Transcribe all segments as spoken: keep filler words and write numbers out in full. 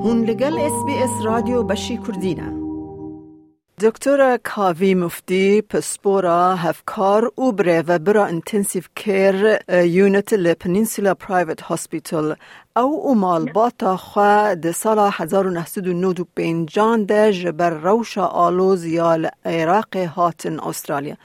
Hûn li gel S B S Radyo Beşî Kurdî ne. Doktora Kavî Muftî, pispora, hevkar û birêvebira Intensive Care, e, Unit li Peninsula Private Hospital. Ew û malbata xwe di sala hezar û neh sed û nod û pêncan de ji ber rewşa aloz ya li Iraqê hatin Australya.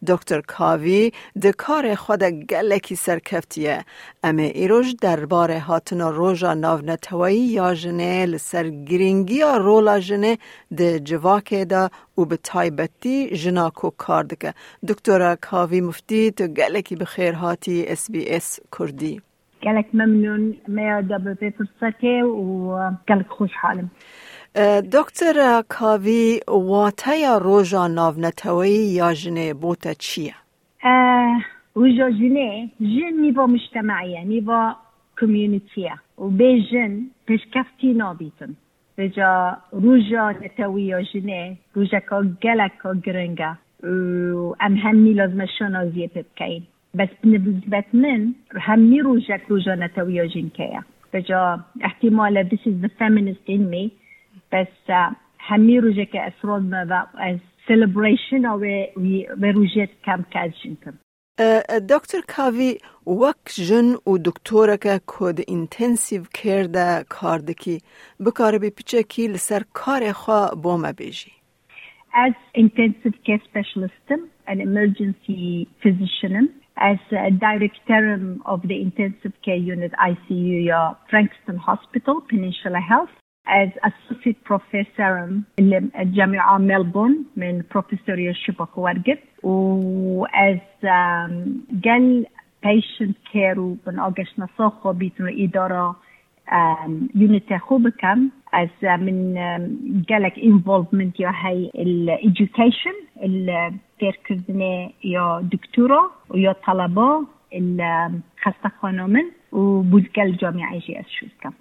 Doktor Kavî di karê xwe de gelekî serkevtî ye. Em ê îroj derbarê hatina Roja Navneteweyî ya Jinê, li ser girîngiya rola jinê di civakê de û bi taybetî jina ku kar dike. Doktora Kavî Muftî, tu gelekî bi xêr hatî S B S Kurdî. Gelek memnûn me ya da bi vê firsetê û gelek xweşhal im. E, Doktora Kavî, wateya Roja Navneteweyî ya Jinê bo te çi ye? E, Roja Jinê, jin nîva mujtemaî ye, nîva community ye û bê jin pêşkeftî nabîtin. Vêca Roja Netewî ya Jinê rojeka geleka giring e û em hemî lazim e şanaziyê pê bikeyin. Bes bi nisbet min hemî rojek Roja Netewî ya Jinkê ye. Vêca ihtimal e this is the feminist in me. Bes, e, hemî rojeke ez razime ve ez celebration a wê, wî, wê rojê dikem ke ez jin im. E, e, Doktor Kavî, wek jin û doktoreke ku di intensive care de kar dikî, bikaribî piçekî li ser karê xwe bo me bêjî? Ez intensive care specialist im, an emergency physician im. Ez, e, director im of the intensive care unit, I C U, ya Frankston Hospital, Peninsula Health. Ez associate professor im li Camia Melbourne, min profesoriya şiba xwe wergirt û ez, em, gel patient care û bin ageştnasa xwe bîtin û îdara, em, unitê xwe bikim. Ez, em, min, em, gelek involvement ya hey il education, il fêrkirdinê ya doktora û ya taleba, il, em, xestexana min û bû gel camiayê jî ez şûr dikim.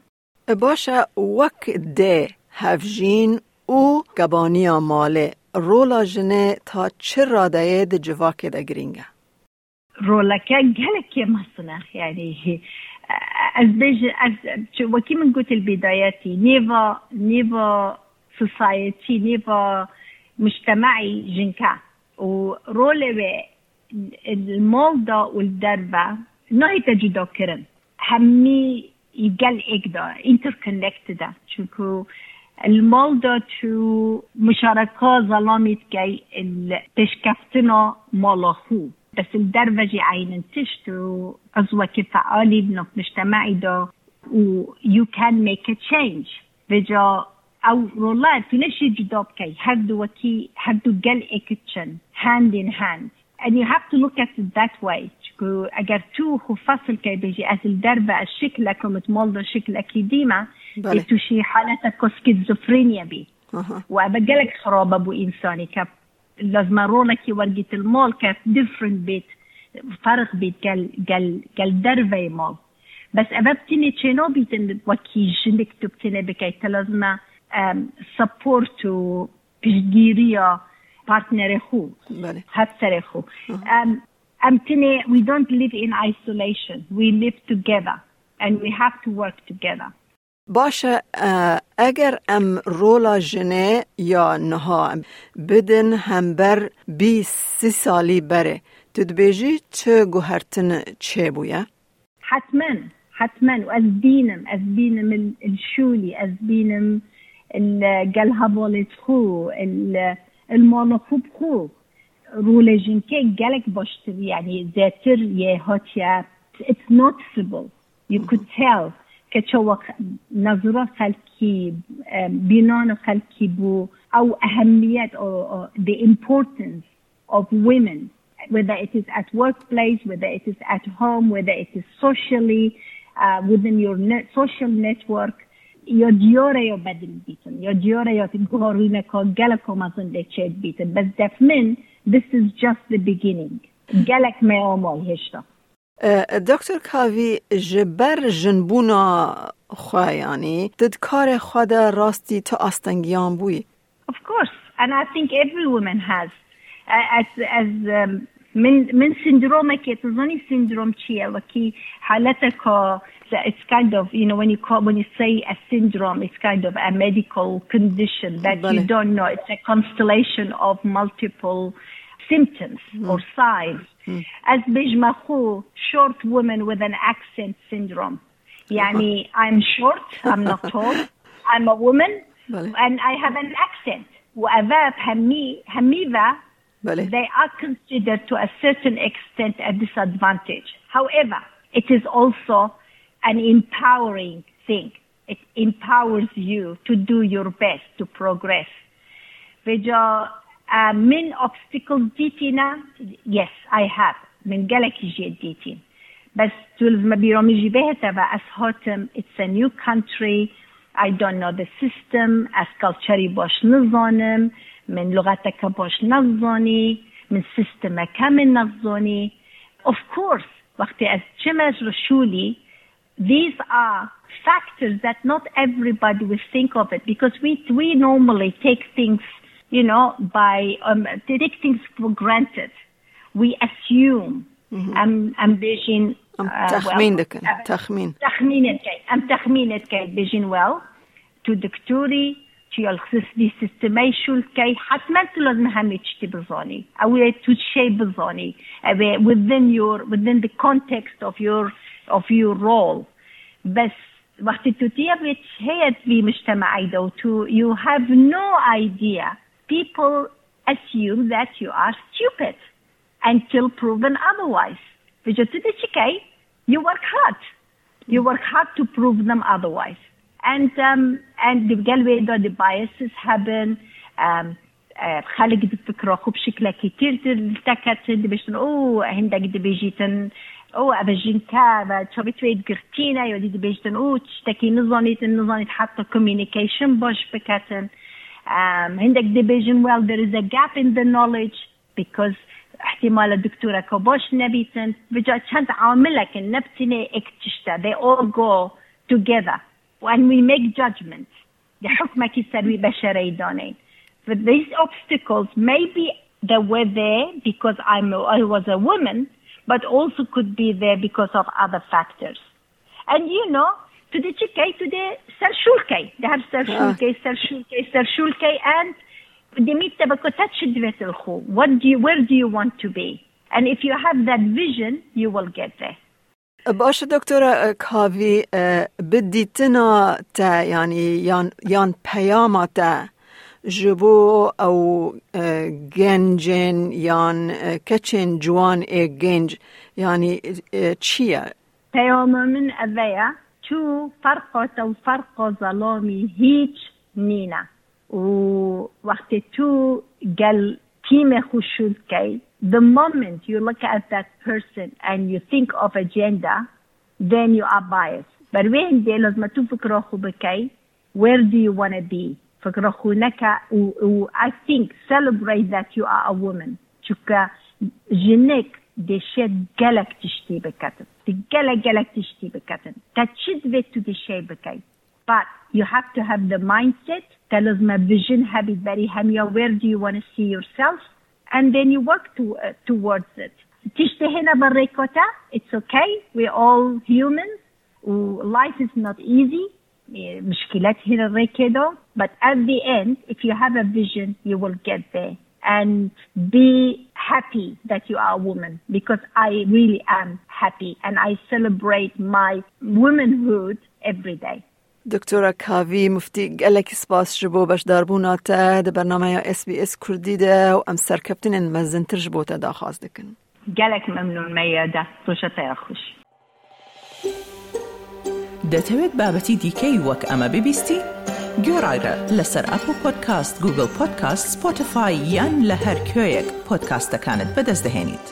Baş e, wek dê, hevjîn û kebaniya malê, rola jinê ta çi radeyê di civakê de girîng e? Roleke gelekî mezin e. Yanî, ez bêjim, ez, çi, wekî min got li bidayetî, nêva, nêva society, nêva mujtemaî jink e. Û rolê wê li mal de û li derve nahête cudakirin. Hemî gel êk de, interconnected e. Çunku li mal de tu muşareka zelamî dikey li pêşkeftina mala xwe. Bes li derve jî eynin tişt û ez wekî fealî bi nav mujtemaî de û you can make a change. Vêca ew rola tu neşî cuda bikey. Her du wekî, her du gel êk diçin. Hand in hand. And you have to look at it that way. Çunku eger tu xwe fesil key bêjî, ez li derve, ez şikilek im, li mal de şikilekî dî me, Belê. Ê tu şî haleta ku schizophrenia bî. Aha. Û ev gelek xirab e bo însanî ke lazim e rolekî wergît li mal ke different bît, ferq bît gel, gel, gel derveyê mal. Bes ev bi tinê çênabîtin wekî jinik tu bi tinê bikey. Te lazim e, em, support û piştgîriya partnerê xwe, Belê. Hevserê xwe. Hı hı. Em, em tinê, we don't live in isolation. We live together and we have to work together. Baş e, e, eger em rola jinê ya niha bidin hember bîst sî salî berê, tu dibêjî çi guhertin çêbûye? Hetmen, hetmen. Û ez bînim, ez bînim il, il şûlî, ez bînim il gel hevalê xwe, il, il mala xwe bi xwe. Rolê jinkê gelek baştir, yanî zêtir yê hatiye. It's noticeable. You could tell ke çawa nazira xelkî, e, bînana xelkî bû, ew ehemmiyet, o, o, the importance of women, whether it is at workplace, whether it is at home, whether it is socially, uh, within your net, social network, ya diyare ya bedil bitin, ya diyare ya guharîneka geleka mezin lê çêdibîtin. Bes def min, this is just the beginning. Gelek me amal hêşta. E, Doktor Kavî, ji ber jinbûna xwe, yanî, tu di karê xwe de rastî tu astengiyan bûyî? Of course, and I think every woman has. A-, As, as, um, min, min sindromekê, tu zanî sindrom çi ye? Wekî haleteka So it's kind of, you know, when you call, when you say a syndrome, it's kind of a medical condition that you Bale. Don't know. It's a constellation of multiple symptoms or signs. Ez bêjme xwe short woman with an accent syndrome. Yani, I'm short, I'm not tall, I'm a woman, Bale. And I have an accent. Whatever, hemi, hemiva, Bale. They are considered to a certain extent a disadvantage. However, it is also an empowering thing. It empowers you to do your best, to progress. Vêca, uh, min obstacles dîtîne? Yes, I have. Min gelekî jê dîtîn. Bes tu li me bîra min jî bihête ve ez hatim, it's a new country, I don't know the system, ez culturî baş nizanim, min luxeteke baş nezanî, min sistemeke min nezanî. Of course, wextê ez çime ji şûlî, these are factors that not everybody will think of it because we, we normally take things, you know, by, um, take things for granted. We assume. Em, em bêjin, Em uh, texmîn well, dikin, em texmîn. Texmîn dikin. Em texmîn dikin. Bêjin, well, tu doktorî, tu ya li xis-, vî sistemê şûl key, hetmen tu lazim hemî tiştî bizanî. Ew ê tu şey bizanî. Ew ê within your, within the context of your, of your role. Bes wextê tu tiye vê heyet vî mujtemeyê de û tu, you have no idea. People assume that you are stupid until proven otherwise. Vêca tu dê çi key? You work hard. You work hard to prove them otherwise. And, um, and di gel wê de di biases hebin, um, eh, xelk di fikra xwe bi şiklekî tir tir teketin, dibêjin, "Oh, hindek dibêjîtin, oh, ev jinke, ve çavê wê girtîne," ya dî dibêjin, "Oh, tiştekî nizanîtin, nizanît heta communication baş biketin." Um, hindek dibêjin, "Well, there is a gap in the knowledge." Because ihtimala doktoreke baş nebîtin. Vêca çend amilek in, ne bi tenê ek tişt e. They all go together. When we make judgments, di hukmekî ser wî beşereyî danên. But these obstacles, maybe they were there because I'm, I was a woman, but also could be there because of other factors. And you know, tu dê çi key, tu dê serşûl key. Dê her serşûl key, serşûl key, serşûl key, and demî te biko te çi divê tu li xwe? What do you, where do you want to be? And if you have that vision, you will get there. Baş e, Doktora, e, Kavî, e, bi dîtina te, yanî yan, yan peyama te ji bo ew, e, gencên yan, e, keçên ciwan ê genc, yanî, e, çi ye? Peyama min eve ye, tu ferqa te û ferqa zelamî hîç nîne. Û wextê tu gel tîmê xwe şûl key, the moment you look at that person and you think of a gender, then you are biased. Ber wê hindê lazim e tu fikra xwe bikey, where do you wanna be? Fikra xwe neke û, û I think celebrate that you are a woman. Çunke jinik dê şêt gelek tiştî biketin. Di gelek, gelek tiştî biketin. Te çi divê tu dê şey bikey? But you have to have the mindset. Te lazim e vision hebît berî hemiya, where do you wanna see yourself? And then you work to, uh, towards it. Tiştê hêne bi rêka te, it's okay. We're all humans. Û life is not easy. E, muşkîlet hîn rêkê de, but at the end, if you have a vision, you will get there. And be happy that you are a woman, because I really am happy and I celebrate my womanhood every day. Doktora Kavî Muftî, gelekî spas ji bo beşdarbûna te di bernameya S B S Kurdî de û em serkeftinên mezintir ji bo te daxwaz dikin. Gelek memnûn me ye de. Roja te ya xweş. دەتەوێت بابەتی دیکەی وەک ئەمە ببیستی؟ گوێڕایرە لەسەر ئەپڵ پۆدکاست، گوگڵ پۆدکاست، سپۆتیفای یان لە هەر کوێیەک پۆدکاستەکانت بەدەست دەهێنیت.